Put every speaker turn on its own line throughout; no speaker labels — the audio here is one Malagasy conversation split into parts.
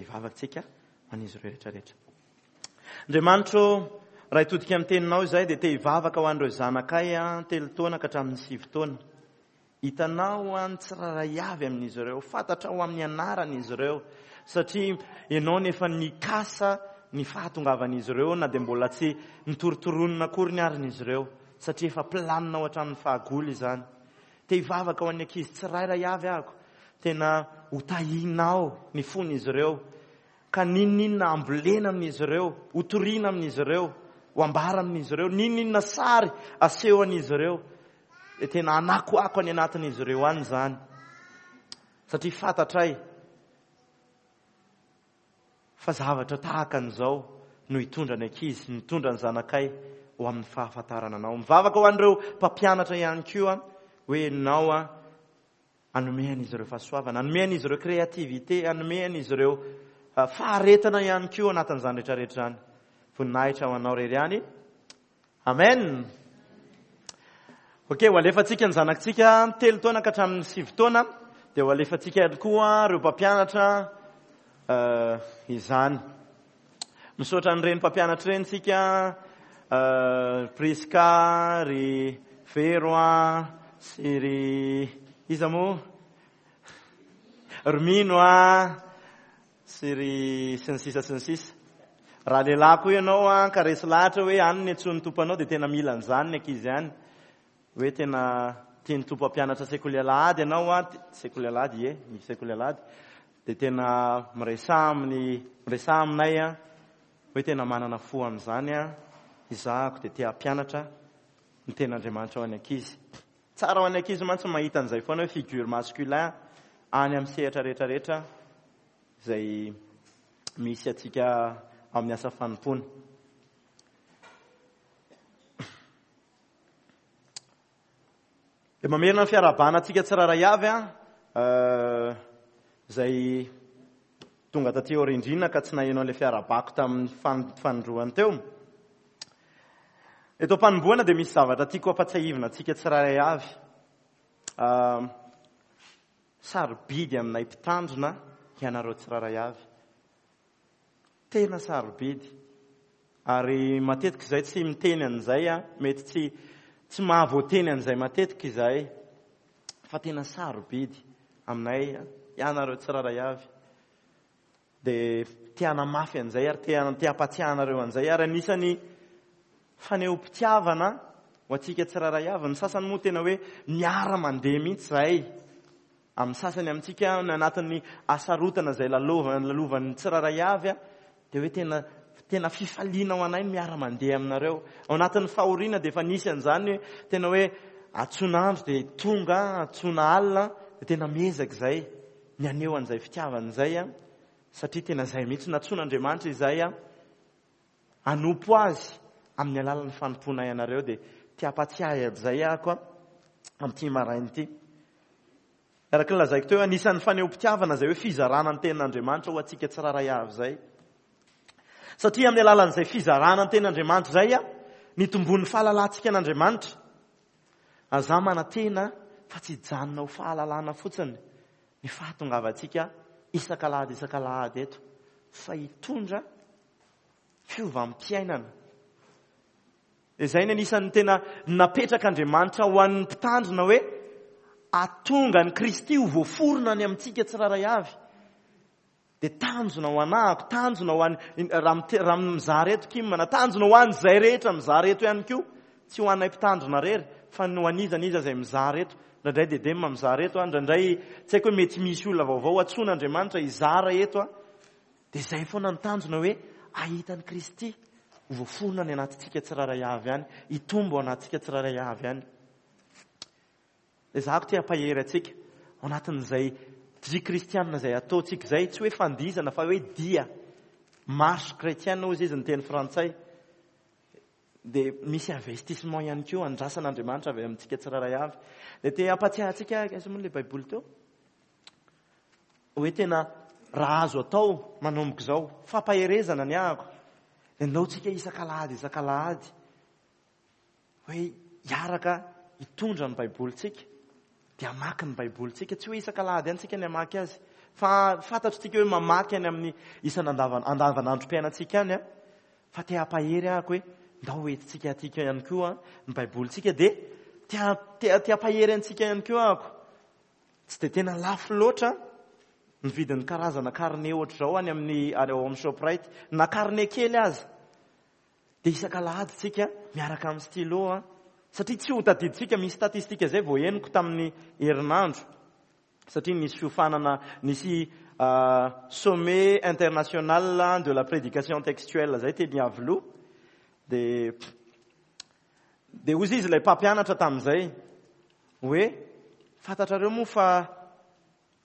Hivavaka tsika ho an'izy ireo rehetra rehetra. Andriamanitro, raha hitodika amin'ny teninao izay dia te hivavaka ho an'ireo zanakay telo taona ka hatramin'ny sivy taona. Hitanao ny tsirairay avy amin'izy ireo, fantatrao amin'ny anarany izy ireo, satria ianao no efa nikasa ny fahatongavan'izy ireo na dia mbola tsy nitorotoronina akory ny arin'izy ireo, satria efa planinao hatramin'ny fahagola izany. Te hivavaka ho an'ny ankizy tsirairay avy aho, tena ho tahinao ny fon'izy ireo, ka n'inon'inona ambolena amin'izy ireo, ho toriana amin'izy ireo, ho ambara amin'izy ireo, n'inon'inona sary aseho an'izy ireo, dia tena hanakoako any anatin'izy ireo any izany, satria fantatray Fa zavatra tahaka an'izao no hitondra ny ankizy, mitondra ny zanakay ho amin'ny fahafantarana anao. Mivavaka ho an'ireo mpampianatra ihany koa hoe ianao hanome an'izy ireo fahasoavana, hanome an'izy ireo créativité, hanome an'izy ireo faharetana ihany koa anatin'izany rehetra rehetra izany. Voninahitra ho anao irery ihany. Amen. Ok, ho alefantsika ny zanakitsika telo taona ka hatramin'ny sivy taona, dia ho alefantsika ihany koa ireo mpampianatra eh, izany. Misaotra an'ireny mpampianatra ireny tsika, eh, Prisca, ry Vero sy ry iza moa? Ry Mino a, Sy ry sy ny sisa sy ny sisa. Raha lehilahy koa ianao an, ka resy lahatra hoe any ny antsoin'ny Tompo anao dia tena mila an'izany ny ankizy any. Hoe tena tian'ny Tompo hampianatra sekoly alahady ianao an, sekoly alahady ie, ny sekoly alahady, dia tena miresaha amin'ny, miresaha aminay an, hoe tena manana fo amin'izany an, izahako dia te hampianatra ny tenin'Andriamanitra ho an'ny ankizy. Tsara ho an'ny ankizy mantsy ny mahita an'izay foana hoe figure masculin any amin'ny sehatra rehetra rehetra izay misy antsika amin'ny asa fanompoana. Dia mamerina ny fiarahabana antsika tsirairay avy an, eh, izay tonga taty aoriandriana ka tsy naheno an'ilay fiarahabako tamin'ny fanindroany teo. Eto am-panombohana dia misy zavatra tiako hampatsiahivina antsika tsirairay avy. Ah, sarobidy aminay mpitandrina ianareo tsirairay avy. Tena sarobidy. Ary matetika izay tsy miteny an'izay, ah, mety tsy tsy mahavoateny an'izay matetika izahay. Fa tena sarobidy aminay ianareo tsirairay avy. Dia te hanamafy an'izay ary te te hampatsiahy anareo an'izay ary anisan'ny fanehoam-pitiavana ho antsika tsirairay avy. Ny sasany moa tena hoe miara-mandeha mihitsy izahay amin'ny sasany amintsika any anatin'ny hasarotana izay lalaovana lalovan'ny tsirairay avy dia hoe tena tena fifaliana ho anay ny miara-mandeha aminareo. Ao anatin'ny fahoriana dia efa nisy an'izany hoe tena hoe antsoina andro dia tonga, antsoina alina dia tena miezaka izay. ny haneho an'izay fitiavana izay an, satria tena izay mihitsy nantsoin'Andriamanitra izay an, hanompo azy amin'ny alalan'ny fanompoanay anareo dia te hampatsiahy an'izay ahako an, amin'ity maraina ity. Araka ny lazaiko teo, anisan'ny fanehoam-pitiavana izay hoe fizarana ny tenin'Andriamanitra ho antsika tsirairay avy izay. Satria amin'ny alalan'izay fizarana ny tenin'Andriamanitra izay an, nitomboan'ny fahalalantsika an'Andriamanitra. Aza manantena fa tsy hijanona ho fahalalana fotsiny ny fahatongavantsika isak'alahady isak'alahady eto fa hitondra fiovam-piainana. Izay ny anisan'ny tena napetrak'Andriamanitra ho an'ny mpitandrina hoe atonga an'i Kristy ho voaforona any amintsika tsirairay avy. Dia tanjona ho anahako, tanjona ho an'ny, raha mizara eto Kim, na tanjona ho an'izay rehetra mizara eto ihany koa, tsy ho anay mpitandrina irery, fa ny ho an'iza n'iza izay mizara eto. Indraindray Dedem mizara eto, indraindray tsy haiko hoe mety misy olona vaovao antsoin'Andriamanitra hizara eto. Dia izay foana ny tanjona hoe hahita an'i Kristy ho voaforona any anatintsika tsirairay avy any, hitombo ao anatintsika tsirairay avy any. Ezahako te hampahery antsika ao anatin'izay dia kristianina izay ataontsika izay, tsy hoe fandihizana fa hoe dia, marche chrétienne hozy izy ny teny frantsay, dia misy investissement ihany koa andrasan'Andriamanitra avy amintsika tsirairay avy. Dia te hampatsiahy antsika, aiza moa ilay baiboly teo? Hoe tena raha azo atao manomboka izao, fampaherezana ny ahako, dia ndao tsika isak'alahady isak'alahady, Hoe hiaraka hitondra ny Baibolintsika, dia hamaky ny Baibolintsika. Tsy hoe isak'alahady ihany tsika ny hamaky azy, Fa fantatr'tsika hoe mamaky any amin'ny isan'andavanandrom-piainantsika any an, fa te hampahery ahako hoe ndao hoentintsika aty ihany koa ny Baibolintsika dia te te hampahery antsika ihany koa ahako. Tsy dia tena lafo loatra ny vidin'ny karazana carnet ohatr'izao any amin'ny any ao amin'ny Shoprite, na carnet kely aza. Dia isak'alahady tsika miaraka amin'ny stylo an, satria tsy ho tadidintsika, misy statistique izay vao henoko tamin'ny herinandro. Satria nisy fiofanana, nisy sommet international de la prédication textuelle zay teny Iavoloha, dia dia hozy izy ilay mpampianatra tamin'izay hoe fantatrareo moa fa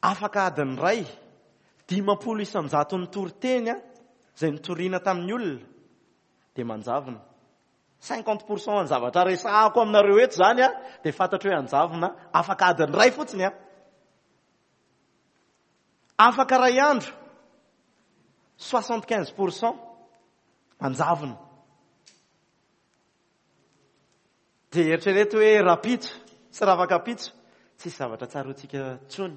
afaka adiny iray, 50 isan-jaton'ny toriteny izay nitoriana tamin'ny olona dia manjavona. 50 pour cent ny zavatra resahako aminareo eto izany an, dia fantatro hoe hanjavona afaka adiny iray fotsiny an. Afaka iray andro, 75 pour cent manjavona. Dia eritrereto hoe rapitso sy ravakapitso, tsisy zavatra tsaroantsika intsony.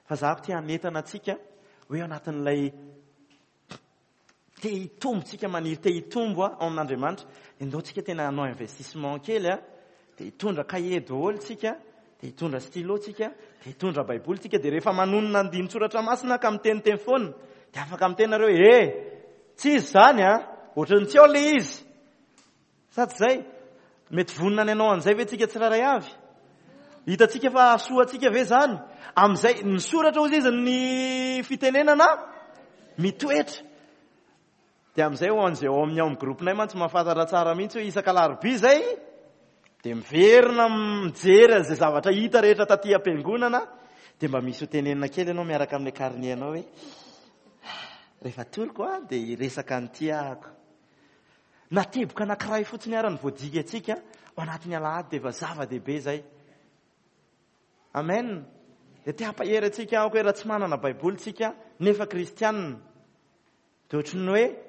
Fa za ko te hanentana antsika hoe ao anatin'ilay Te hitombo tsika maniry te hitombo ao amin'Andriamanitra. Endao tsika tena hanao investissement kely a, dia hitondra cahier daholo tsika, dia hitondra stylo tsika, dia hitondra baiboly tsika, dia rehefa manonona andinin-tsoratra masina ka miteniteny foana, dia afaka miteny nareo hoe eh, tsy izy izany a, ohatran'ny tsy ao ilay izy. Sa tsy izay? Mety vonona ny hanao an'izay ve tsika tsirairay avy? Hitantsika fa hahasoa antsika ve izany? Amin'izay, ny soratra hozy izy ny fitenenana mitoetra. Dia amin'izay ho an'izay ao amin'ny ao amin'ny groupe-nay mantsy mahafantatra tsara mihitsy hoe isak'alarobia izay dia miverina mijery an'izay zavatra hita rehetra taty am-piangonana dia mba misy ho tenenina kely ianao miaraka amin'ilay carnet-nao hoe rehefa toriko aho dia hiresaka an'ity ahako. Na teboka anankiray fotsiny ara no voadikantsika ao anatin'ny alahady dia efa zava-dehibe izay. Amen. Dia te hampahery antsika aho hoe raha tsy manana Baiboly tsika nefa kristianina dia ohatran'ny hoe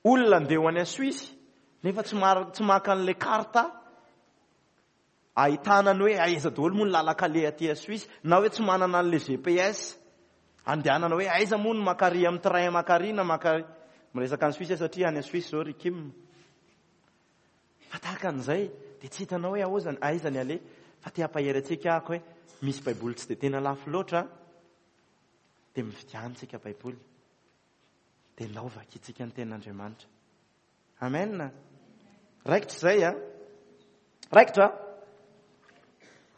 olona andeha ho any Suisse nefa tsy tsy maka an'ilay carte Ahitana ny hoe aiza daholo moa ny lalan-kaleha aty Suisse na hoe tsy manana an'ilay GPS andehanana hoe aiza moa ny mankary amin'ny train mankary na mankary. Miresaka any Suisse aho satria any Suisse izao ry Kim. Fa tahaka an'izay dia tsy hitanao hoe aoza aiza ny aleha fa te hampahery antsika aho hoe misy baiboly tsy dia tena lafo loatra dia mividiana tsika baiboly dia ndao vakintsika ny tenin'Andriamanitra. Amen. Raikitra izay a. Raikitra.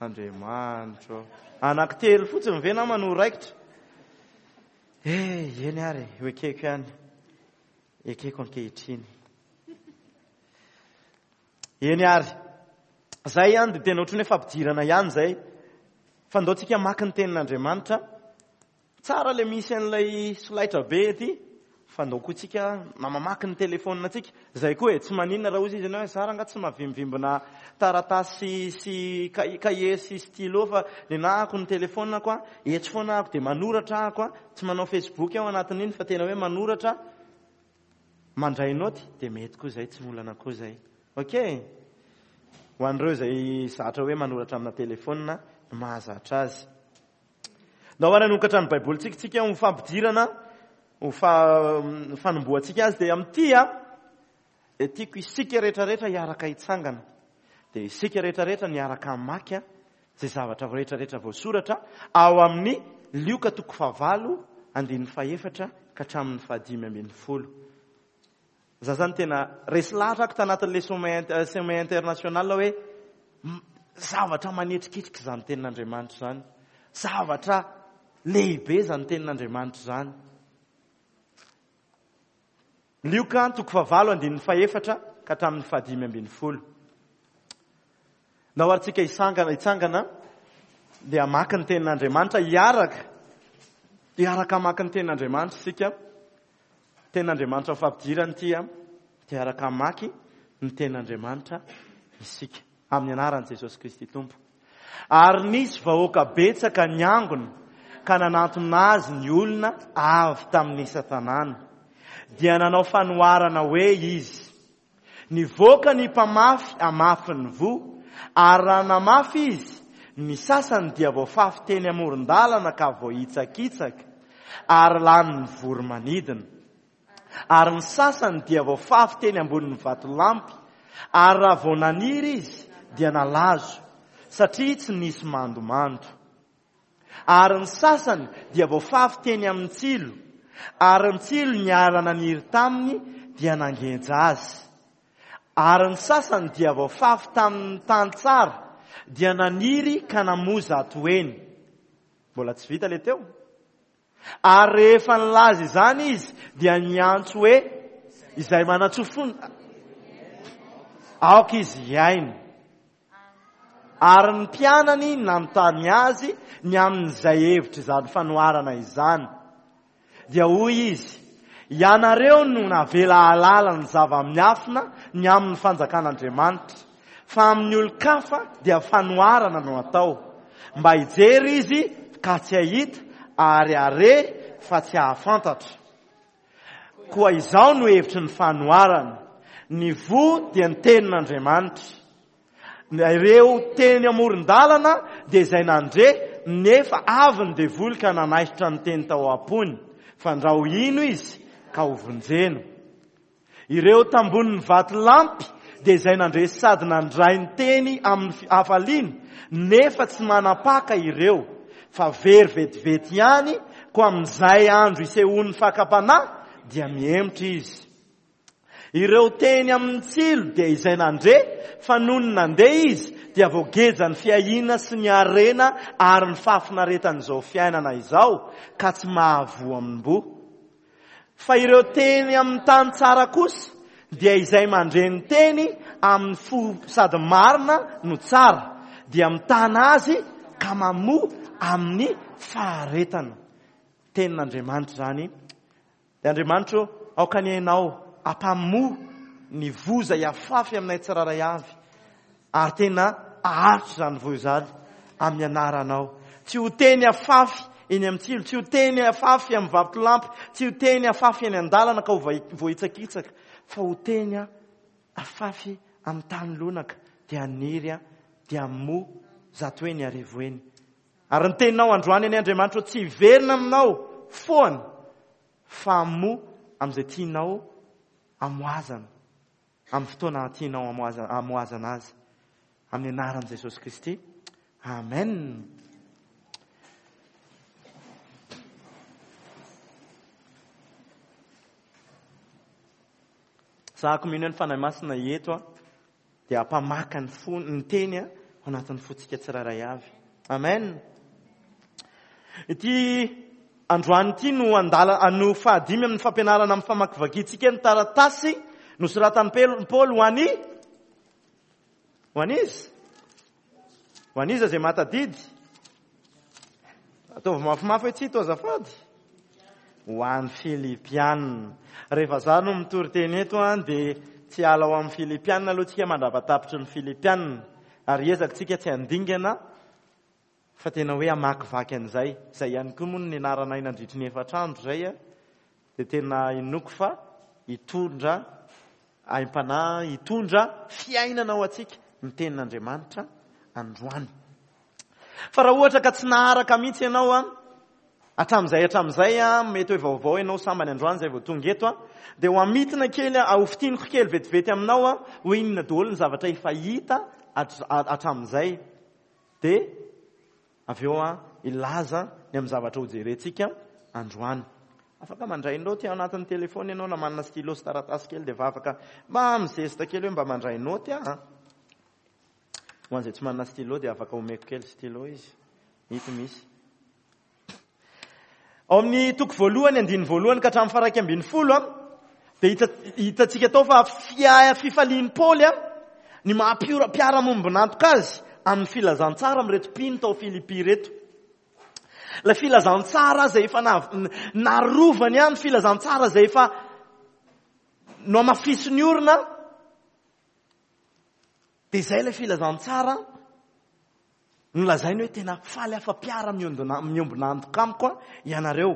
Andriamanitro. Anankitelo fotsiny ve nama no raikitra? Eh, eny ary, ho ekeko ihany. Ekeko ankehitriny. Eny ary. Zay ihany dia tena ohatran'ny hoe fampidirana ihany izay. Fa ndao tsika maka ny tenin'Andriamanitra. Tsara le misy an'ilay solaitra be ety fa ndao koa tsika na mamaky ny telephone tsika. Zay koa e, tsy maninona raha ozy izy ianao hoe za rangah tsy mahavimbvimbina taratasy sy cahier sy stylo fa nenahako ny telephone ko a, etsy foana ahako dia manoratra ahako a, tsy manao facebook aho anatin'iny fa tena hoe manoratra, mandray naoty dia mety koa zay, tsy olana koa zay. Ok? Ho an'ireo izay zatra hoe manoratra amina telephone no mahazatra azy. Ndao ary hanokatra ny Baibolintsika tsika ho fampidirana, ho fanombohantsika azy dia amin'ity a, dia tiako isika rehetrarehetra hiaraka hitsangana. Dia isika rehetrarehetra niaraka hamaky a, izay zavatra rehetrarehetra voasoratra ao amin'ny Lioka toko fahavalo andininy fahefatra ka hatramin'ny fahadimy ambin'ny folo. Za zany tena resy lahatra ako tanatin'ilay sommet international hoe zavatra manetriketrika izany tenin'Andriamanitra izany. Zavatra lehibe izany tenin'Andriamanitra izany. Lioka toko fahavalo andininy fahefatra ka hatramin'ny fahadimy ambin'ny folo. Ndao ary tsika hisangana hitsangana dia hamaky ny tenin'Andriamanitra hiaraka hiaraka hamaky ny tenin'Andriamanitra isika. Tenin'Andriamanitra ho fampidirana ity a, dia hiaraka hamaky ny tenin'Andriamanitra isika amin'ny anaran'i Jesosy Kristy Tompo. Ary nisy vahoaka betsaka niangona ka nanantona azy ny olona avy tamin'ny isan-tanàna. Dia nanao fanoharana hoe izy, Nivoaka ny mpamafy hamafy ny voa, ary raha namafy izy, ny sasany dia voafafy teny amoron-dalana ka voahitsakitsaka. ary lanin'ny voro-manidina. Ary ny sasany dia voafafy teny ambonin'ny vatolampy, ary raha vao naniry izy dia nalazo, satria tsy nisy mandomando. Ary ny sasany dia voafafy teny amin'ny tsilo, ary ny tsilo niara-naniry taminy dia nangeja azy. Ary ny sasany dia voafafy tamin'ny tany tsara, dia naniry ka namoa zatoheny. Mbola tsy vita ilay teo. Ary rehefa nilaza izany izy dia niantso hoe, Izay manan-tsofina, aoka izy hihaino. Ary ny mpianany nanontany azy ny amin'izay hevitr'izany fanoharana izany. Dia hoy izy, Ianareo no navela hahalala ny zava-miafina ny amin'ny fanjakan'Andriamanitra, fa amin'ny olon-kafa dia fanoharana no atao, mba hijery izy ka tsy hahita, ary hare fa tsy hahafantatra. Koa izao no hevitry ny fanoharana, ny voa dia ny tenin'Andriamanitra. Ireo teny amoron-dalana dia izay nandre, nefa avy ny devoly ka nanaisotra ny teny tao am-pony, fandrao hino izy ka hovonjena. Ireo tambonin'ny vatolampy dia izay nandre sady nandray ny teny amin'ny hafaliana, nefa tsy manapaka ireo, fa very vetivety ihany, koa amin'izay andro isehoan'ny fakam-panahy dia mihemotra izy. Ireo teny amin'ny tsilo dia izay nandre fa nony nandeha izy dia voagejan'ny fiahiana sy ny harena ary ny fahafinaretan'izao fiainana izao ka tsy mahavoa amim-boa. Fa ireo teny amin'ny tany tsara kosa dia izay mandre ny teny amin'ny fo sady marina no tsara dia mitana azy ka mamoa amin'ny faharetana. Tenin'Andriamanitra izany. Dia Andriamanitra ô, aoka anie Ianao hampamoa ny voa izay hafafy aminay tsirairay avy, ary tena haharitra izany voa izany amin'ny anaranao. Tsy ho teny hafafy eny amin'ny tsilo, tsy ho teny hafafy amin'ny vatolampy, tsy ho teny hafafy eny an-dalana ka ho voahitsakitsaka, fa ho teny hafafy amin'ny tany lonaka, dia haniry, dia hamoa zatoheny arivoheny. Ary ny teninao androany anie Andriamanitra ô tsy hiverina aminao foana fa hamoa amin'izay tianao hamoazana amin'ny fotoana tianao hamoazana azy. Amin'ny anaran'i Jesosy Kristy. Amen. Zahako mino ny Fanahy Masina eto a. dia hampamaka ny fo, ny teny ao anatin'ny fontsika tsirairay avy. Amen. Ity androany ity no andala no fahadimy amin'ny fampianarana amin'ny famakivakintsika ny taratasy nosoratan'i Paoly ho an'i ho an'iza? Ho an'iza izay mahatadidy? Ataovy mafimafy hoe tsy to azafady. Ho an'ny Filipiana. Rehefa za no mitory teny eto an, dia tsy hiala ao amin'ny Filipiana aloha tsika mandrapa-tapitry ny Filipiana. Ary hiezaka tsika tsy handingana fa tena hoe hamakivaky an'izay. Izay ihany koa moa no nianaranay nandritry ny efatra andro izay an. Dia tena inoako fa hitondra aim-panahy, hitondra fiainana ho antsika ny tenin'Andriamanitra androany. Fa raha ohatra ka tsy naharaka mihitsy ianao an, hatramin'izay hatramin'izay an, mety hoe vaovao ianao sambany androany izay vao tonga eto an, dia ho amitina kely, ho fintiniko kely vetivety aminao an, hoe inona daholo ny zavatra efa hita hatramin'izay. Dia Avy eo aho hilaza ny amin'ny zavatra hojerentsika androany. Afaka mandray naoty ao anatin'ny telefaonina ianao na manana stylo sy taratasy kely dia efa afaka mba mizesta kely hoe mba mandray naoty aho. Ho an'izay tsy manana stylo dia afaka omeko kely stylo izy. Ito misy. Ao amin'ny toko voalohany, andininy voalohany ka hatramin'ny faharaika ambin'ny folo, dia hitantsika tao fa fifalian'i Paoly ny maha mpiara-mombon'antoka azy amin'ny filazantsara amin'ireto mpino tao Filipy ireto. Ilay filazantsara izay efa narovany ny filazantsara izay efa nohamafisiny orina, dia izay ilay filazantsara Nolazainy hoe tena faly aho fa mpiara-miombona antoka amiko ianareo.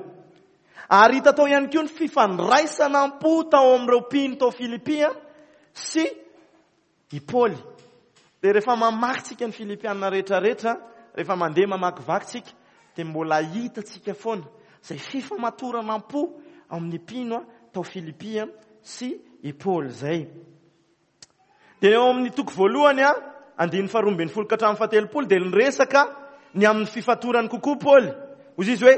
Ary hita tao ihany koa ny fifandraisana am-po tao amin'ireo mpino tao Filipy sy i Paoly. Dia rehefa mamaky tsika ny Filipiana rehetrarehetra, rehefa mandeha mamakivaky tsika, dia mbola hitantsika foana. Izay fifamatorana am-po amin'ny mpino tao Filipy sy i Paoly izay. Dia eo amin'ny toko voalohany, andininy faharoa ambin'ny folo ka hatramin'ny fahatelopolo, dia niresaka ny amin'ny fifatorany kokoa Paoly. Hoy izy hoe,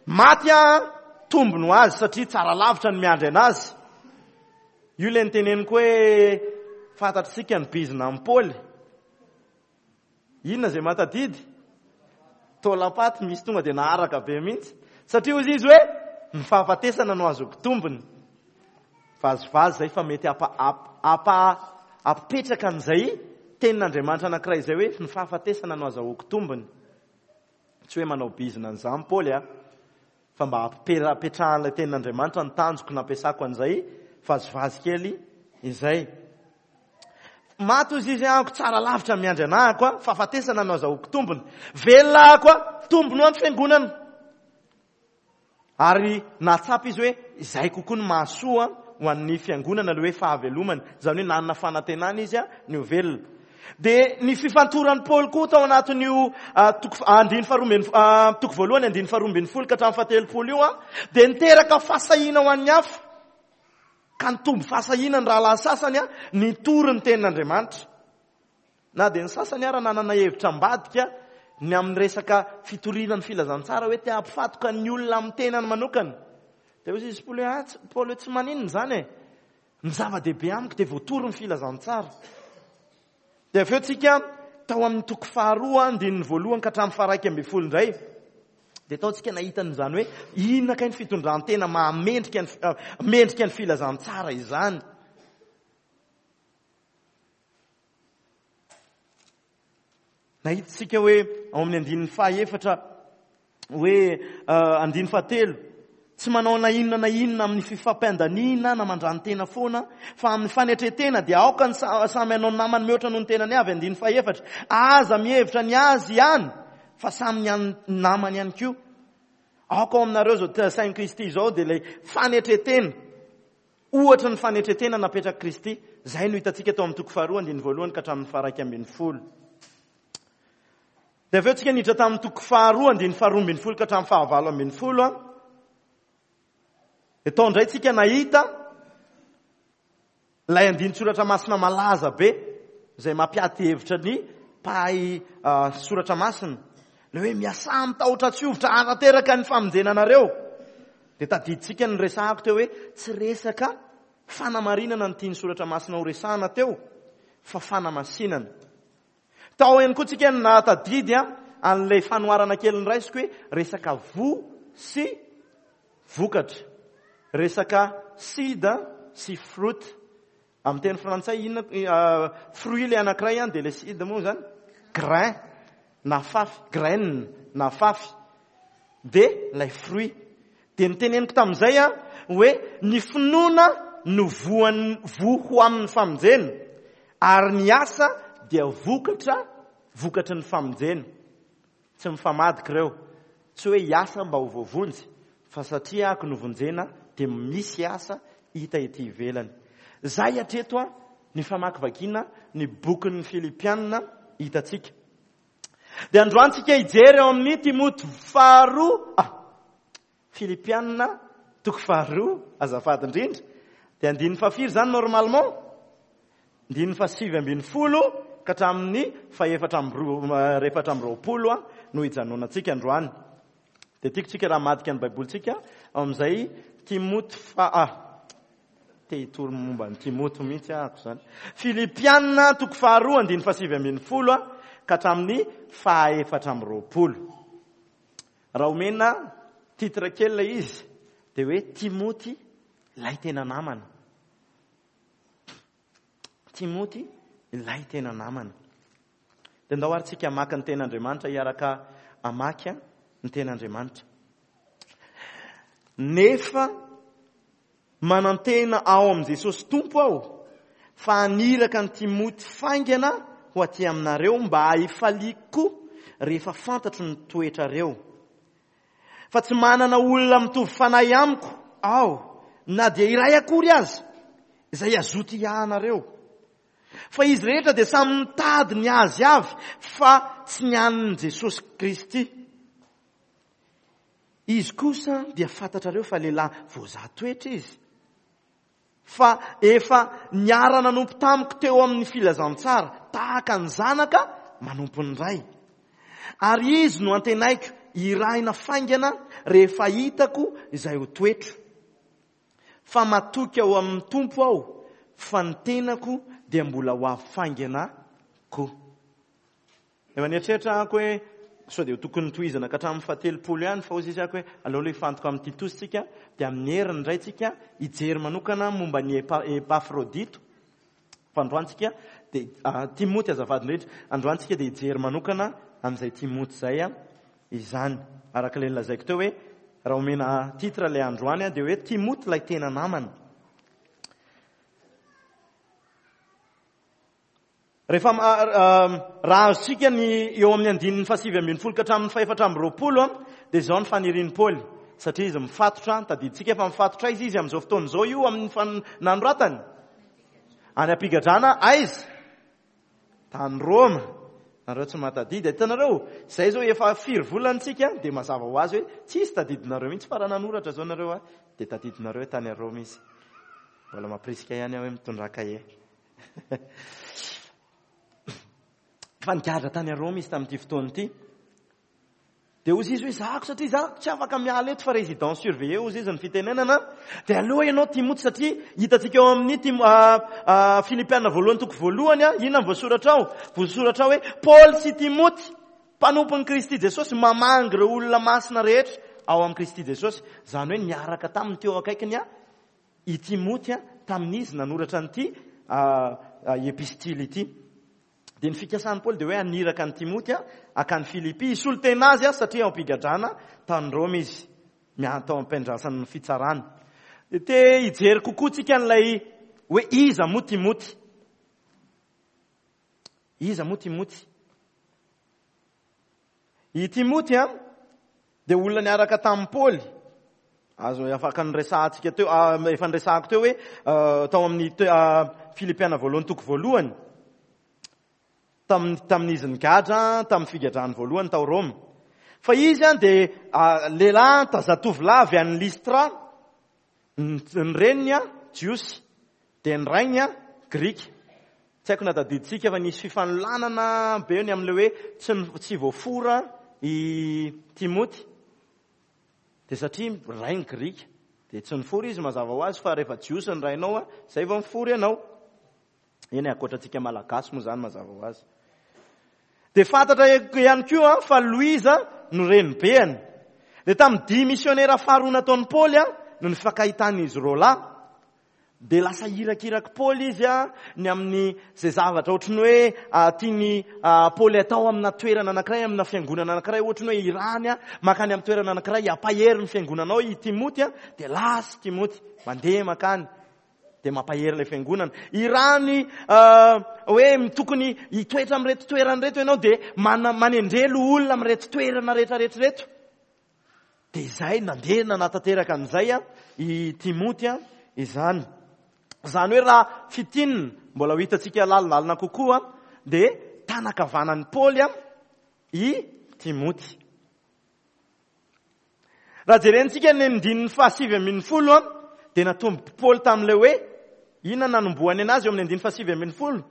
maty aho, tombony ho azy satria tsara lavitra ny miandry anazy. Io ilay niteneniko hoe fantatr'isika ny bizina amin'i Paoly. Inona izay mahatadidy? Taolam-paty misy tonga dia naharaka be mihitsy. Satria hoy izy hoe ny fahafatesana no azoko tombony. Vazivazy izay fa mety hampipetraka an'izay tenin'Andriamanitra anankiray izay hoe ny fahafatesana no azahoako tombony. Tsy hoe manao bizina an'izany Paoly a, fa mba hampipetrahan'ilay tenin'Andriamanitra ny tanjoko nampiasako an'izay vazivazy kely izay. Maty hozy izy ahako tsara lavitra miandry anahako a, fahafatesana no azahoako tombony. Velona ahako a, tombony ho an'ny fiangonana. Ary nahatsapa izy hoe izay kokoa no mahasoa ho an'ny fiangonana ilay hoe fahavelomany. Izany hoe nanana fanantenana izy ny ho velona. Dia ny fifantoran'i Paoly koa tao anatin'io toko andininy faharoa ambin'ny toko voalohany andininy faharoa ambin'ny folo ka hatramin'ny fahatelopolo io dia niteraka fahasahiana ho an'ny hafa. Ka nitombo fahasahiana ny rahalahy sasany nitory ny tenin'Andriamanitra. Na dia ny sasany ara nanana hevitra ambadika ny amin'ny resaka fitoriana ny filazantsara hoe te hampifatoka ny olona amin'ny tenany manokana. Dia hoy izy Paoly hoe, ah, Paoly hoe tsy maninona izany e. Ny zava-dehibe amiko dia voatory ny filazantsara. Dia avy eo tsika tao amin'ny toko faharoa andininy voalohany ka hatramin'ny faha-11 indray. Dia tao tsika nahita an'izany hoe inona kay ny fitondran-tena mahamendrika ny mendrika ny filazantsara izany. Nahita isika hoe ao amin'ny andininy fahaefatra hoe andininy fahatelo, tsy manao na inona na inona amin'ny fifampiandaniana na mandrano-tena foana, fa amin'ny fanetren-tena dia aoka ny samy hanao ny namany mihoatra noho ny tenany avy, andininy fahefatra, aza mihevitra ny azy ihany, fa samy ny an'ny namany ihany koa. Aoka ao aminareo izao sain'i Kristy izao dia ilay fanetren-tena. Ohatra ny fanetren-tena napetrak'i Kristy, izay no hitantsika tao amin'ny toko faharoa andininy voalohany ka hatramin'ny faha-11. Dia avy eo tsika niditra tamin'ny toko faharoa andininy faharoa ambin'ny folo ka hatramin'ny faha-18. Dia tao indray tsika nahita ilay andinin-tsoratra masina malaza be izay mampiady hevitra ny mpahay soratra masina. Ilay hoe miasà amin'ny tahotra tsy hovitra hanateraka ny famonjena anareo. Dia tadidintsika ny resahako teo hoe tsy resaka fanamarinana ny tian'ny soratra masina ho resahana teo fa fanamasinana. Tao ihany koa tsika ny nahatadidy an'ilay fanoharana kely noraisiko hoe resaka voa sy vokatra. Resaka seed sy fruit. Amin'ny teny frantsay inona fruit ilay anankiray an, dia ilay seed moa izany grain na fafy, graine na fafy. Dia ilay fruit. Dia niteneniko tamin'izay an hoe ny finoana no voan'ny voa ho amin'ny famonjena ary ny asa dia vokatra vokatry ny famonjena. Tsy mifamadika ireo. Tsy hoe hiasa mba ho voavonjy, fa satria ako novonjena dia misy asa hita ety ivelany. Izay hatreto an, ny famakivakiana ny bokin'ny Filipiana hitantsika. Dia androany tsika hijery ao amin'ny Timoty faharoa, ah, Filipiana toko faharoa, azafady indrindra. Dia andininy fahafiry izany normalement? Andininy faha-19 ka hatramin'ny faha-24 no hijanonantsika androany. Dia tiako tsika raha hamadika ny Baibolintsika ao amin'izay Timoty faha, te hitory momba an'i Timoty mihitsy ahako izany. Filipiana toko faharoa andininy faha-19 ka hatramin'ny faha-24. Raha omena titre kely ilay izy dia hoe Timoty ilay tena namana. Timoty ilay tena namana. Dia ndao ary tsika hamaky ny tenin'Andriamanitra, hiaraka hamaky ny tenin'Andriamanitra. Nefa manantena ao amin'i Jesosy Tompo aho fa haniraka an'i Timoty faingana ho aty aminareo mba hahifaliako koa rehefa fantatro ny toetrareo. Fa tsy manana olona mitovy fanahy amiko aho, na dia iray akory aza, izay hazoto hiahy anareo. Fa izy rehetra dia samy mitady ny azy avy, fa tsy ny an'i Jesosy Kristy. Izy kosa dia fantatrareo fa lehilahy voazaha toetra izy, fa efa niara-nanompo tamiko teo amin'ny filazantsara, tahaka ny zanaka manompo ny ray. Ary izy no antenaiko hirahina faingana rehefa hitako izay ho toetro. Fa matoky ao amin'ny Tompo aho fa ny tenako dia mbola ho avy faingana koa. Efa nieritreritra aho hoe sao dia ho tokony tohizana ka hatramin'ny fahatelopolo ihany fa hoy izy aho hoe aleo aloha hifantoka amin'i Titosy tsika dia amin'ny heriny indray tsika hijery manokana momba ny Epafrodito. Fa androany tsika dia ah, Timoty azafady indrindra, androany tsika dia hijery manokana amin'izay Timoty izay izany. Araka ilay nolazaiko teo hoe raha omena titre ilay androany dia hoe Timoty ilay tena namana. Rehefa raha azontsika ny eo amin'ny andininy fahasivy ambin'ny folo ka hatramin'ny fahefatra amby roapolo dia izao ny fanirian'i Paoly, satria izy mifatotra, tadidintsika fa mifatotra aiza izy amin'izao fotoana izao io amin'ny nanoratany? Any am-pigadrana aiza? Tany Roma. Nareo tsy mahatadidy. Hitanareo, izay izao efa firy volana tsika dia mazava ho azy hoe tsisy tadidinareo mihitsy fa raha nanoratra izao nareo dia tadidinareo hoe tany Roma izy. Mbola mampirisika ihany aho hoe mitondrà kahie. Fa nigadra tany Roma izy tamin'ity fotoana ity. Dia hozy izy hoe zahako satria za tsy afaka miala eto fa résidence surveillée hozy izy ny fitenenana. Dia aloha ianao Timoty satria hitantsika ao amin'ny Tim-, Filipiana voalohany toko voalohany, inona ny voasoratra ao? Voasoratra ao hoe Paoly sy Timoty, mpanompon'i Kristy Jesosy, mamangy ireo olona masina rehetra ao amin'i Kristy Jesosy. Izany hoe niaraka taminy teo akaikiny i Timoty tamin'izy nanoratra an'ity epistily ity. Dia ny fikasan'i Paoly dia hoe haniraka an'i Timoty hankany Filipy, hisolo tena azy satria ao am-pigadrana tany Roma izy, tao am-piandrasany ny fitsarana. Dia te hijery kokoa tsika an'ilay hoe iza moa Timoty? Iza moa Timoty? I Timoty dia olona niaraka tamin'i Paoly. Azo afaka niresahantsika teo, efa niresahako teo hoe tao amin'ny Filipiana voalohany toko voalohany, tamin'izy nigadra, tamin'ny figadrany voalohany tao Roma. Fa izy dia lehilahy zatovolahy avy any Lystra, ny reniny Jiosy, dia ny rainy Grika. Tsy haiko na tadidintsika fa nisy fifanolanana be ny amin'ilay hoe tsy voafora i Timoty. Dia satria rainy Grika, dia tsy nifora izy mazava ho azy fa rehefa Jiosy ny rainao, izay vao mifora ianao. Eny, ankoatra antsika Malagasy moa izany mazava ho azy. Dia fantatra ihany koa fa Loiza no renibeany. Dia tamin'ny dia misionera faharoa nataon'i Paoly no nifankahitan'izy roa lahy. Dia lasa irakirak'i Paoly izy ny amin'ny izay zavatra ohatry ny hoe tian'i Paoly atao amina toerana anankiray, amina fiangonana anankiray, ohatry ny hoe irany mankany amin'ny toerana anankiray, hampahery ny fiangonanao i Timoty, dia lasa i Timoty, mandeha mankany, dia mampahery ilay fiangonana. Irany hoe tokony hitoetra amin'ireto toerana ireto ianao, dia manendrelo olona amin'ireto toerana rehetra rehetra ireto. Dia izay nandeha nanatanteraka an'izay i Timoty izany. Izany hoe raha fintinina, mbola ho hitantsika lalindalina kokoa, dia tanan-kavanan'i Paoly i Timoty. Raha jerentsika ny andininy fahasivy ambin'ny folo, dia natombok'i Paoly tamin'ilay hoe inona nanombohany anazy eo amin'ny andininy fahasivy ambin'ny folo?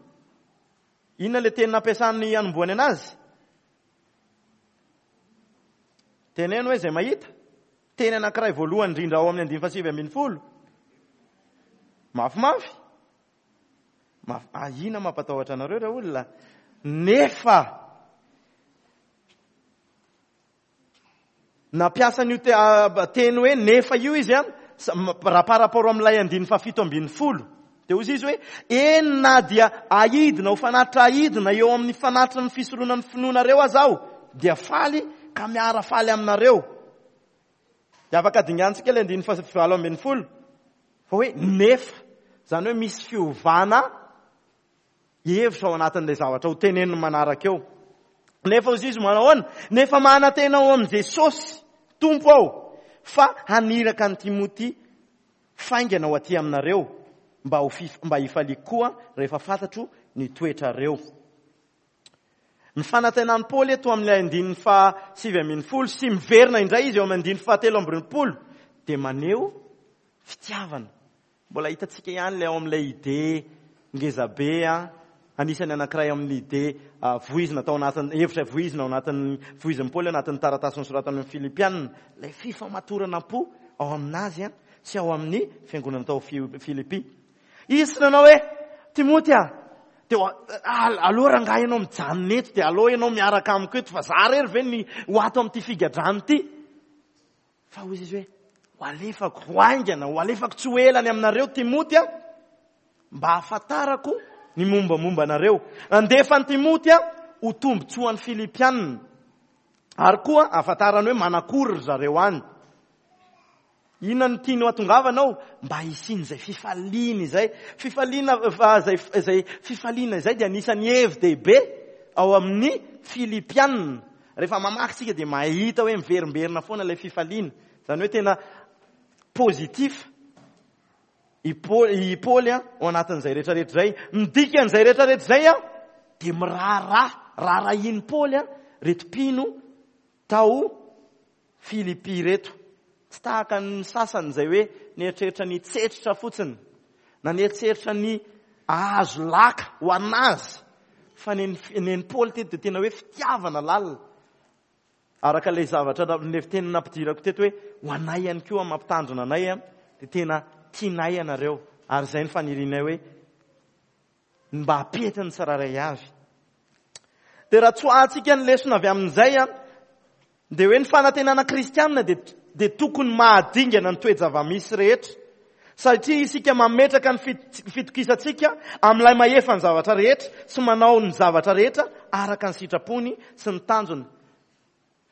Inona ilay teny nampiasany hanombohany anazy? Teneno hoe izay mahita. Teny anankiray voalohany indrindra ao amin'ny andininy fahasivy ambin'ny folo. Mafimafy. Mafy. Ahiana mampatahotra anareo raha olona. Nefa nampiasa an'io teny hoe nefa io izy an, raha par rapport amin'ilay andininy fahafito ambin'ny folo. Dia hoy izy hoe, eny na dia ahidina ho fanatitra ahidina eo amin'ny fanatitra ny fisoronan'ny finoanareo aza aho, dia faly ka miara-faly aminareo. Dia afaka dingantsika ilay andininy fahavalo ambin'ny folo, fa hoe nefa, izany hoe misy fiovana hevitra ao anatin'ilay zavatra ho teneniny manaraka eo. Nefa hoy izy manahoana? Nefa manantena ao amin'i Jesosy Tompo aho fa haniraka an'i Timoty faingana ho aty aminareo mba hifaliako koa rehefa fantatro ny toetrareo. Ny fanantenan'i Paoly eto amin'ilay andininy faha 19 sy miverina indray izy eo amin'ny andininy faha 23 dia maneho fitiavana. Mbola hitantsika ihany ilay ao amin'ilay idée ngezabe an, anisan'ny anankiray amin'ny idée voizina tao anatin'ny hevitra voizina ao anatin'ny voizin'i Paoly ao anatin'ny taratasy nosoratany amin'ny Filipiana, ilay fifamatorana am-po ao aminazy an sy ao amin'ny fiangonana tao Filipy. Izy tsy nanao hoe Timoty a, dia aleo rangahy ianao mijanona eto dia aleo ianao miaraka amiko eto fa za rery ve ny ho ato amin'ity figadrana ity. Fa hoy izy hoe, ho alefako ho haingana, ho alefako tsy ho ela any aminareo Timoty a, mba hahafantarako ny mombamomba anareo. Nandefa an'i Timoty a, ho tombontsoan'ny Filipianina. Ary koa hahafantarany hoe manakory ry zareo any. Inona no tiany ho atongavana ao? Mba hisian'izay fifaliana izay. Fifaliana, izay, izay fifaliana izay dia anisan'ny hevi-dehibe ao amin'ny Filipianina. Rehefa mamaky isika dia mahita hoe miverimberina foana ilay fifaliana. Izany hoe tena positif i Paoly, i Paoly ao anatin'izay rehetrarehetra izay. Ny dikan'izay rehetrarehetra izay dia miraharaha, raharahian'i Paoly ireto mpino tao Filipy ireto. Tsy tahaka ny sasany izay hoe nieritreritra ny hitsetritra fotsiny, na nieritreritra ny ahazo laka ho an'azy, fa ny an'i Paoly teto dia tena hoe fitiavana lalina. Araka ilay zavatra ilay teny nampidirako teto hoe ho anay ihany koa mampitandrina anay dia tena tianay ianareo ary izay ny fanirianay hoe ny mba hampety ny tsirairay avy. Dia raha tsoahantsika ny lesona avy amin'izay an, dia hoe ny fanantenana kristianina dia, dia tokony mahadingana ny toe-java-misy rehetra. Satria isika mametraka ny fitokisantsika amin'ilay mahefa ny zavatra rehetra sy manao ny zavatra rehetra araka ny sitrapony sy ny tanjony.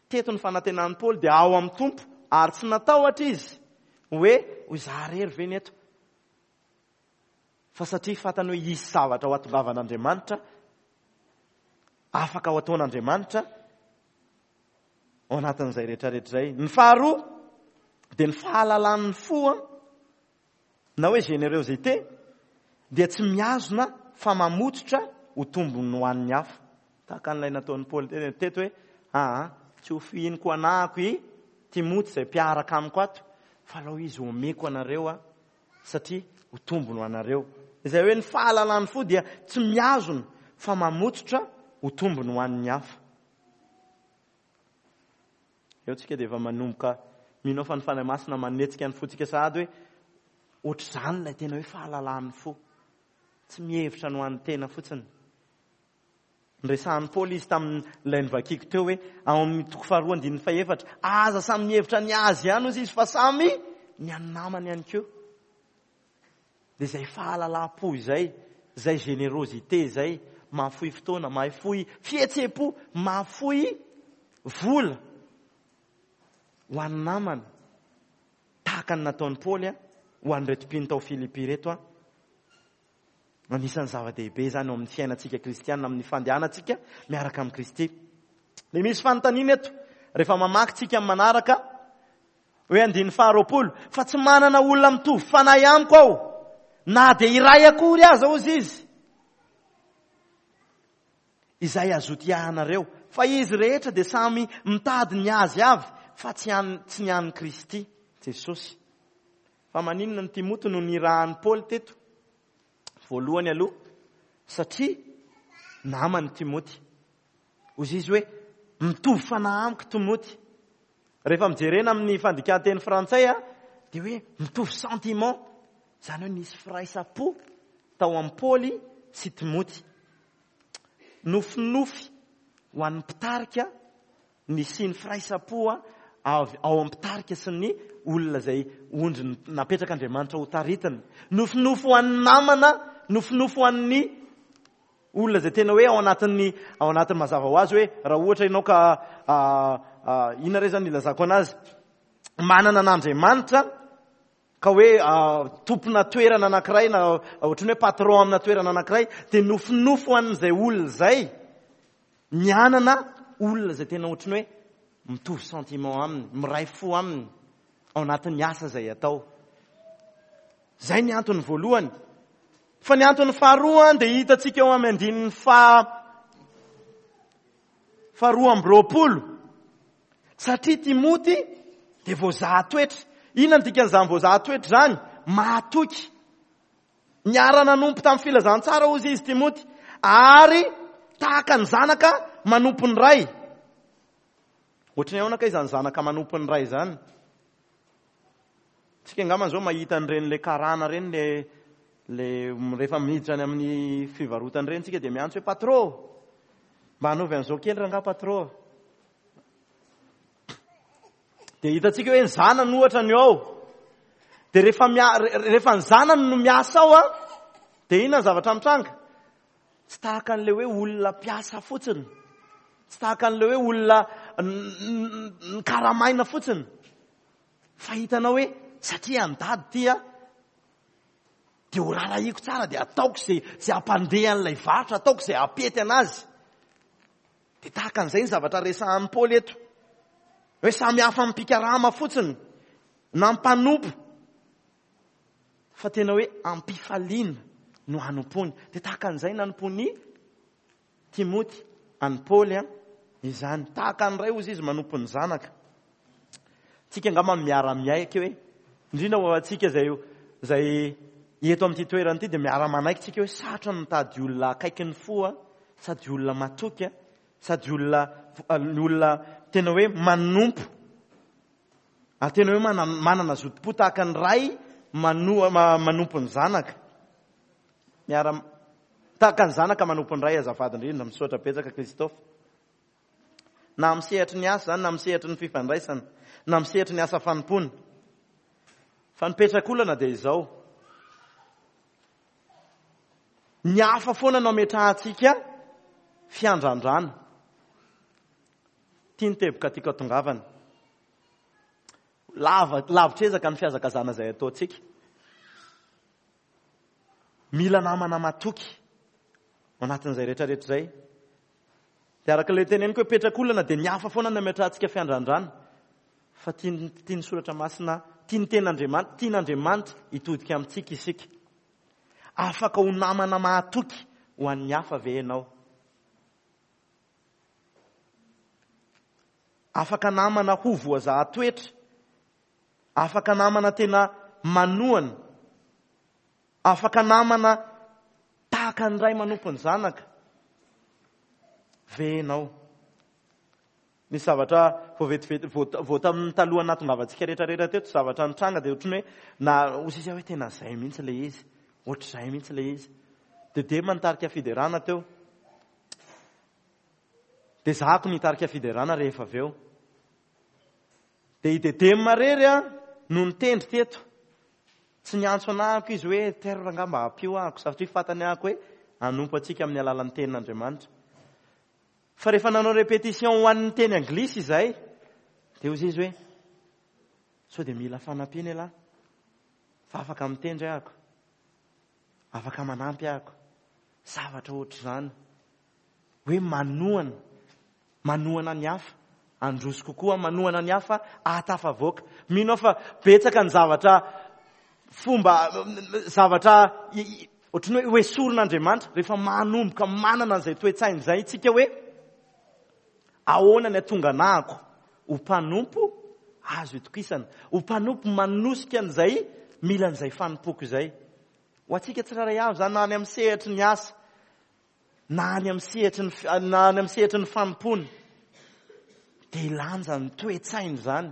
Teto ny fanantenan'i Paoly dia ao amin'ny Tompo ary tsy natahotra izy hoe ho izaho irery ve ny eto. Fa satria fantany hoe hisy zavatra ho atongavan'Andriamanitra, afaka ho ataon'Andriamanitra ao anatin'izay rehetrarehetra izay. Ny faharoa dia ny fahalalan'ny fo na hoe générosité dia tsy mihazona fa mamototra ho tombony ho an'ny hafa. Tahaka an'ilay nataon'i Paoly teto hoe aa tsy ho fihiniko anahako i Timoty izay mpiaraka amiko ato fa alao izy omeko anareo aho satria ho tombony ho anareo. Izay hoe ny fahalalan'ny fo dia tsy mihazona fa mamototra ho tombony ho an'ny hafa. Eo tsika dia efa manomboka mino aho fa ny Fanahy Masina manetsika ny fontsika sahady hoe ohatr'izany ilay tena hoe fahalalan'ny fo. Tsy mihevitra ny ho an'ny tena fotsiny. Noresahan'i Paoly izy tamin'ilay novakiko teo hoe ao amin'ny toko faharoa andininy fahefatra, aza samy mihevitra ny azy ihany hozy izy fa samy ny an'ny namany ihany koa. Dia izay fahalalam-po izay, izay générosité izay, mahafoy fotoana, mahafoy fihetseham-po, mahafoy vola ho an'ny namana. Tahaka ny nataon'i Paoly ho an'ireto mpino tao Filipy ireto. Anisan'ny zava-dehibe izany eo amin'ny fiainantsika kristiana, amin'ny fandehanantsika miaraka amin'i Kristy. Dia misy fanontaniana eto, rehefa mamaky tsika amin'ny manaraka, hoe andininy faharoapolo, fa tsy manana olona mitovy fanahy amiko aho, na dia iray akory aza hozy izy, izay azoto hiahanareo, fa izy rehetra dia samy mitady ny azy avy, fa tsy an, tsy ny an'i Kristy Jesosy. Fa maninona ny Timoty no nirahan'i Paoly teto? Voalohany aloha, satria namany Timoty. Hoy izy hoe, mitovy fanahy amiko Timoty. Rehefa mijerena amin'ny fandikan-teny frantsay, dia hoe mitovy sentiment. Izany hoe nisy firaisam-po tao amin'i Paoly sy Timoty. Nofinofy ho an'ny mpitarika Nisian'ny firaisam-po avy ao amin'ny mpitarika sy ny olona izay ondry napetrak'Andriamanitra ho taritina. Nofinofy ho an'ny namana, nofinofy ho an'ny olona izay tena hoe ao anatin'ny ao anatin'ny mazava ho azy hoe raha ohatra ianao ka inona re izany ilazako anazy manana an'Andriamanitra ka hoe tompona toerana anankiray na ohatran'ny hoe patron amina toerana anankiray dia nofinofy ho an'izay olona izay ny hanana olona izay tena ohatran'ny hoe mitovy sentiment aminy, miray fo aminy ao anatin'ny asa izay atao. Izay ny antony voalohany. Fa ny antony faharoa dia hitantsika ao amin'ny andininy faha. Faharoa amby roapolo. Satria Timoty dia voazaha toetra. Inona no dikan'izany voazaha toetra izany? Mahatoky. Niara-nanompo tamin'ny filazantsara hozy izy Timoty, ary tahaka ny zanaka manompo ny ray. Ohatran'ny ahoana kay izany zanaka manompo ny ray izany? Tsika angamba izao mahita an'ireny le karana ireny le le rehefa miditra any amin'ny fivarotana ireny tsika dia miantso hoe patro. Mba hanaovy an'izao kely rangaha patro. Dia hitantsika hoe ny zanany ohatra ny ao. Dia rehefa rehefa ny zanany no miasa ao an, dia inona ny zavatra mitranga? Tsy tahaka an'ilay hoe olona mpiasa fotsiny. Tsy tahaka an'ilay hoe olona nikaramaina fotsiny. Fa hitanao hoe satria an'i dady ity an, dia ho rarahiko tsara dia ataoko izay izay hampandeha an'ilay varotra, ataoko izay hampety anazy. Dia tahaka an'izay ny zavatra resahan'i Paoly eto. Hoe samy hafa amin'ny mpikarama fotsiny na mpanompo fa tena hoe ampifaliana no hanompoany. Dia tahaka an'izay nanompoan'i Timoty an'i Paoly izany. Tahaka ny ray hozy izy manompo ny zanaka. Tsika angamba miara-miaiky hoe, indrindra ho antsika izay izay eto amin'ity toerana ity dia miara-manaiky tsika hoe sarotra ny mitady olona akaiky ny fo sady olona matoky sady olona ny olona tena hoe manompo ary tena hoe manana zotom-po tahaka ny ray manoa manompo ny zanaka. Miara tahaka ny zanaka manompo ny ray azafady indrindra misaotra betsaka Christophe. Na amin'ny sehatry ny asa izany, na amin'ny sehatry ny fifandraisana, na amin'ny sehatry ny asa fanompoana. Fa ny petrak'olana dia izao. Ny hafa foana no ametrahantsika fiandrandrana. Ity ny teboka tiako atongavana. Lava, lavitr'ezaka ny fihazakazana izay ataontsika. Mila namana matoky ao anatin'izay rehetrarehetra izay. Dia araka ilay teneniko hoe petrak'olana dia ny hafa foana no ametrahantsika fiandrandrana. Fa tian'ny tian'ny soratra masina, tian'ny tenin'Andriamanitra, tian'Andriamanitra hitodika amintsika isika. Afaka ho namana mahatoky ho an'ny hafa ve ianao? Afaka namana ho voazaha toetra. Afaka namana tena manohana. Afaka namana tahaka ny ray manompo ny zanaka ve ianao? Nisy zavatra vao vetivety, vao tamin'ny talohan'ny nahatongavantsika rehetrarehetra teto, zavatra nitranga dia ohatran'ny hoe na hoy sisa hoe tena izay mihitsy ilay izy, ohatr'izay mihitsy ilay izy. Dia Dema nitarika fiderana teo. Dia zahako nitarika fiderana rehefa avy eo. Dia i Dedem irery no nitendry teto. Tsy niantso anahako izy hoe Terre rangahy mba ampio ahako satria fantany ahako hoe hanompo antsika amin'ny alalan'ny tenin'Andriamanitra. Fa rehefa nanao répétition ho an'ny teny anglisy izahay dia hoy izy hoe sao dia mila fanampiana ialahy fa afaka mitendry ahako, afaka manampy ahako. Zavatra ohatr'izany. Hoe manohana, manohana ny hafa, handroso kokoa, manohana ny hafa hahatafavoaka. Mino aho fa betsaka ny zavatra fomba, zavatra ohatran'ny hoe hoesorin'Andriamanitra rehefa manomboka manana an'izay toe-tsaina izay isika hoe ahoana ny hatonganahako ho mpanompo azo itokisana, ho mpanompo manosika an'izay mila an'izay fanompoako izay. Ho antsika tsirairay avy izany na any amin'ny sehatry ny asa, na any amin'ny sehatry ny na any amin'ny sehatry ny fanompoana dia ilanja ny toe-tsaina izany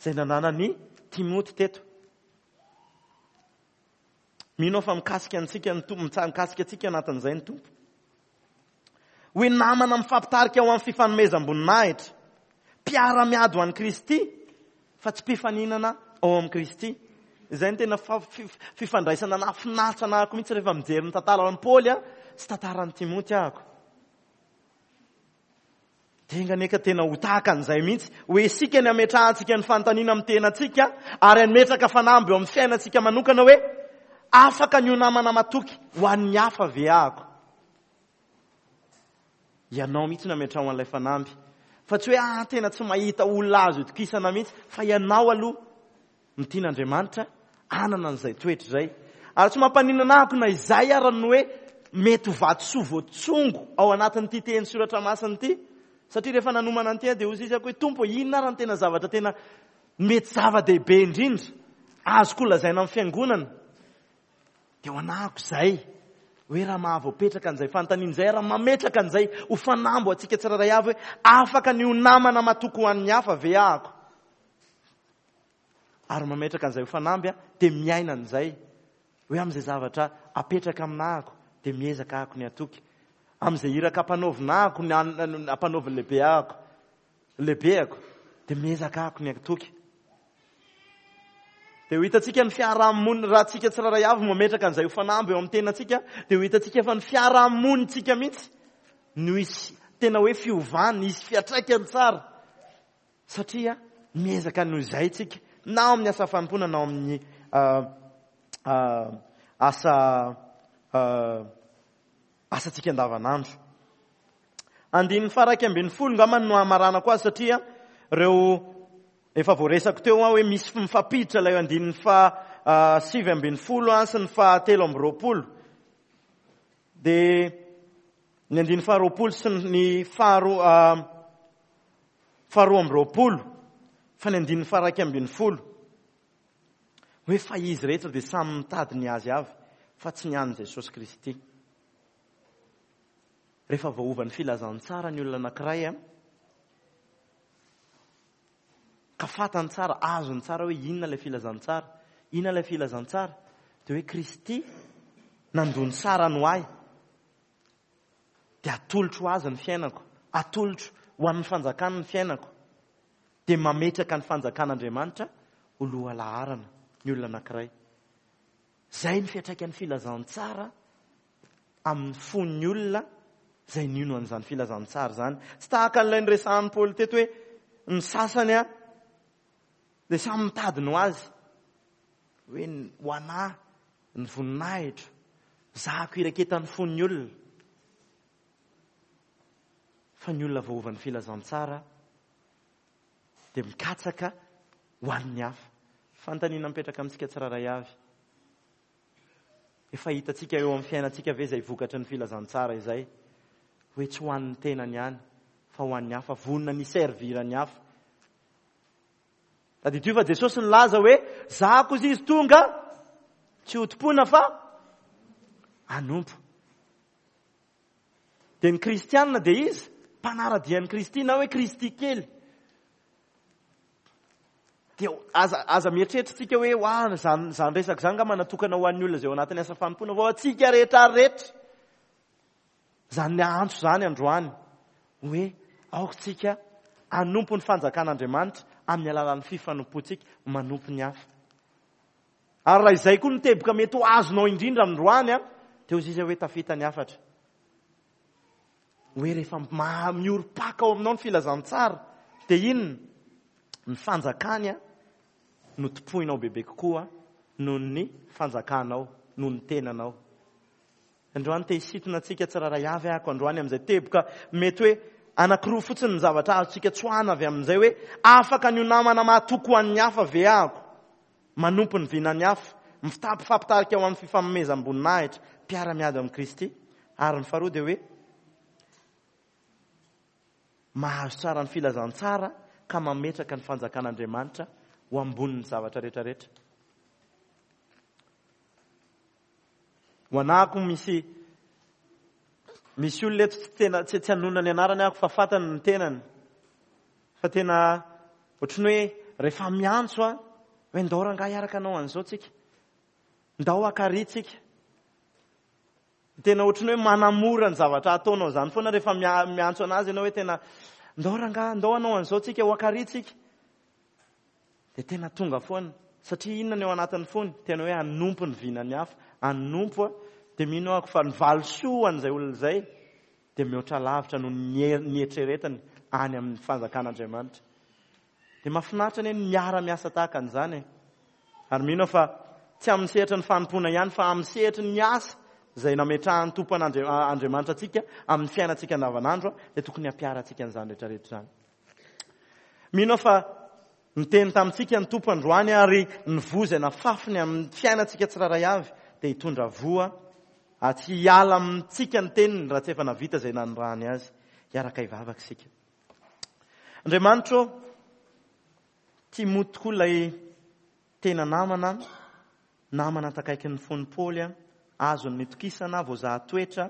izay nananan'i Timoty teto. Mino aho fa mikasika antsika ny Tompo, mikasika antsika anatin'izay ny Tompo. Hoe namana mifampitarika ho amin'ny fifanomezam-boninahitra, mpiara-miady ho an'i Kristy, fa tsy mpifaninana ao amin'i Kristy. Izay no tena fifandraisana nahafinaritra anahako mihitsy rehefa mijery ny tantaran'i Paoly sy tantaran'i Timoty ahako. Dia enga anie ka tena ho tahaka an'izay mihitsy, hoe isika ny hametrahantsika ny fanontaniana amin'ny tenantsika ary hametraka fanamby eo amin'ny fiainantsika manokana hoe afaka ny ho namana matoky ho an'ny hafa ve ahako? Ianao mihitsy no ametraho an'ilay fanamby. Fa tsy hoe ah tena tsy mahita olona azo itokisana mihitsy, fa ianao aloha no tian'Andriamanitra hanana an'izay toetra izay. Ary tsy mampaninona ahako na izay ara no hoe mety ho vatosoa voatsongo ao anatin'ity teny soratra masina ity. Satria rehefa nanomana an'ity aho dia hoy izy hoe Tompo inona ary ny tena zavatra tena mety zava-dehibe indrindra azoko lazaina amin'ny fiangonana? Dia ho anahako izay hoe raha mahavoapetraka an'izay fanontaniana izay, raha mametraka an'izay ho fanamby ho antsika tsirairay avy hoe afaka ny ho namana matoky ho an'ny hafa ve ahako? Ary mametraka an'izay ho fanamby aho dia miaina an'izay. Hoe amin'izay zavatra apetraka aminahako dia miezaka ahako ny hatoky. Amin'izay iraka ampanaovina ahako, ny ampanaovin'ny lehibe ahako, lehibeako, dia miezaka ahako ny hatoky. Dia ho hitantsika ny fiarahamonina, raha tsika tsirairay avy mametraka an'izay ho fanamby eo amin'ny tenantsika, dia ho hitantsika fa ny fiarahamonintsika mihitsy no hisy tena hoe fiovana, hisy fiantraikany tsara. Satria miezaka noho izay tsika, na ao amin'ny asa fanompoana na ao amin'ny asa asantsika andavanandro. Andininy faha 11 angamba no hamaranako azy satria ireo efa voaresako teo aho hoe misy mifampiditra ilay andininy faha 19 sy ny faha 23. Dia ny andininy faha 20 sy ny faha 22 fa ny andininy faha 11 hoe fa izy rehetra dia samy mitady ny azy avy fa tsy ny an'i Jesosy Kristy. Rehefa voaovan'ny filazantsara ny olona anankiray a, ka fantany tsara, azony tsara hoe inona ilay filazantsara, inona ilay filazantsara, dia hoe Kristy nandoa ny sarany ho ahy, dia atolotro ho azy ny fiainako, atolotro ho an'ny fanjakany ny fiainako, dia mametraka ny fanjakan'Andriamanitra ho lohalaharana ny olona anankiray. Izay ny fiantraikan'ny filazantsara amin'ny fon'ny olona izay nino an'izany filazantsara izany. Tsy tahaka an'ilay niresahan'i Paoly teto hoe ny sasany a dia samy mitady ny ho azy. Hoe ho anà ny voninahitro, zahako iraketan'ny fon'ny olona. Fa ny olona voaovan'ny filazantsara dia mikatsaka ho an'ny hafa. Fanontaniana mipetraka amintsika tsirairay avy. Efa hitantsika eo amin'ny fiainantsika ve izay vokatry ny filazantsara izay? Hoe tsy ho an'ny tenany ihany fa ho an'ny hafa, vonona ny hi-servir ny hafa. Tadidio fa Jesosy nilaza hoe zahako izy izy tonga tsy hotompoina fa hanompo. Dia ny kristianina dia izy mpanara-dia an'i Kristy na hoe Kristy kely. Dia aza aza mieritreritra tsika hoe wa zany zany resaka zany ngamba natokana ho an'ny olona izay ao anatin'ny asa fanompoana fa ho antsika rehetra rehetra. Izany antso izany androany hoe aoka tsika hanompo ny fanjakan'Andriamanitra amin'ny alalan'ny fifanompoantsika manompo ny hafa. Ary raha izay koa no teboka mety ho azonao indrindra androany an, dia hoy izy hoe tafita ny hafatra. Hoe rehefa miorim-paka ao aminao ny filazantsara, dia inona? Ny fanjakany no tompoinao bebe kokoa noho ny fanjakanao, noho ny tenanao. Androany te hisintona antsika tsirairay avy ahako androany amin'izay teboka mety hoe anankiroa fotsiny ny zavatra azontsika tsoahana avy amin'izay hoe afaka ny ho namana mahatoky ho an'ny hafa ve ahako? Manompo ny vinan'ny hafa, mifampitarika ho amin'ny fifanomezam-boninahitra, mpiara-miady amin'i Kristy. Ary ny faharoa dia hoe mahazo tsara ny filazantsara ka mametraka ny fanjakan'Andriamanitra ho ambonin'ny zavatra rehetrarehetra. Ho anahako misy misy olona eto tsy tena tsy tsy hanonona ny anarany aho fa fantany ny tenany. Fa tena ohatran'ny hoe rehefa miantso a hoe ndao rangahy hiaraka hanao an'izao tsika. Ndao haka ary tsika. Tena ohatran'ny hoe manamora ny zavatra ataonao izany foana rehefa miantso anazy ianao hoe tena ndao rangahy ndao hanao an'izao tsika ho haka ary tsika. Dia tena tonga foana. Satria inona ny ao anatin'ny fony? Tena hoe hanompo ny vinan'ny hafa. Hanompo aho. Dia mino aho fa ny valisoa ho an'izay olona izay dia mihoatra lavitra noho ny nieritreretiny any amin'ny fanjakan'Andriamanitra. Dia mahafinaritra anie ny miara-miasa tahaka an'izany e. Ary mino aho fa tsy amin'ny sehatry ny fanompoana ihany fa amin'ny sehatry ny asa izay nametrahan'ny Tompo Andriamanitra antsika amin'ny fiainantsika andavanandro dia tokony hampiharantsika an'izany rehetra rehetra izany. Mino aho fa niteny tamintsika ny Tompo androany ary ny voa izay nafafiny amin'ny fiainantsika tsirairay avy dia hitondra voa ary tsy hiala amintsika ny teniny raha tsy efa navita izay nanirahany azy. Hiaraka hivavaka isika. Andriamanitra ô, Timoty tokoa ilay tena namana, namana takaikin'ny fon'i Paoly, azony nitokisana, voazaha toetra,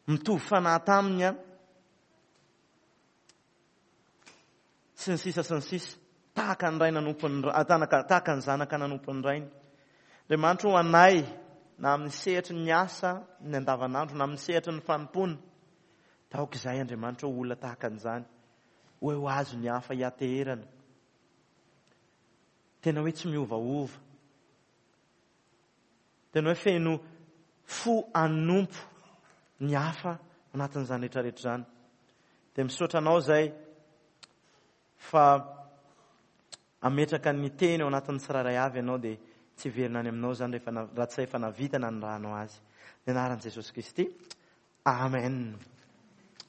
mitovy fanahy taminy, sy ny sisa sy ny sisa, tahaka ny ray nanompo ny tahaka ny zanaka nanompo ny rainy. Andriamanitra ho anay na amin'ny sehatry ny asa ny andavanandro na amin'ny sehatry ny fanompoana. Taoka izay Andriamanitra ho olona tahaka an'izany. Hoe ho azo ny hafa hiateherana. Tena hoe tsy miovaova. Tena hoe feno fo hanompo ny hafa anatin'izany rehetra rehetra izany. Dia misaotra anao izay fa ametraka ny teny ao anatin'ny tsirairay avy ianao dia tsy hiverina any aminao izany rehefa raha tsy efa navita nanirahanao azy. Ny anaran'i Jesosy Kristy. Amen.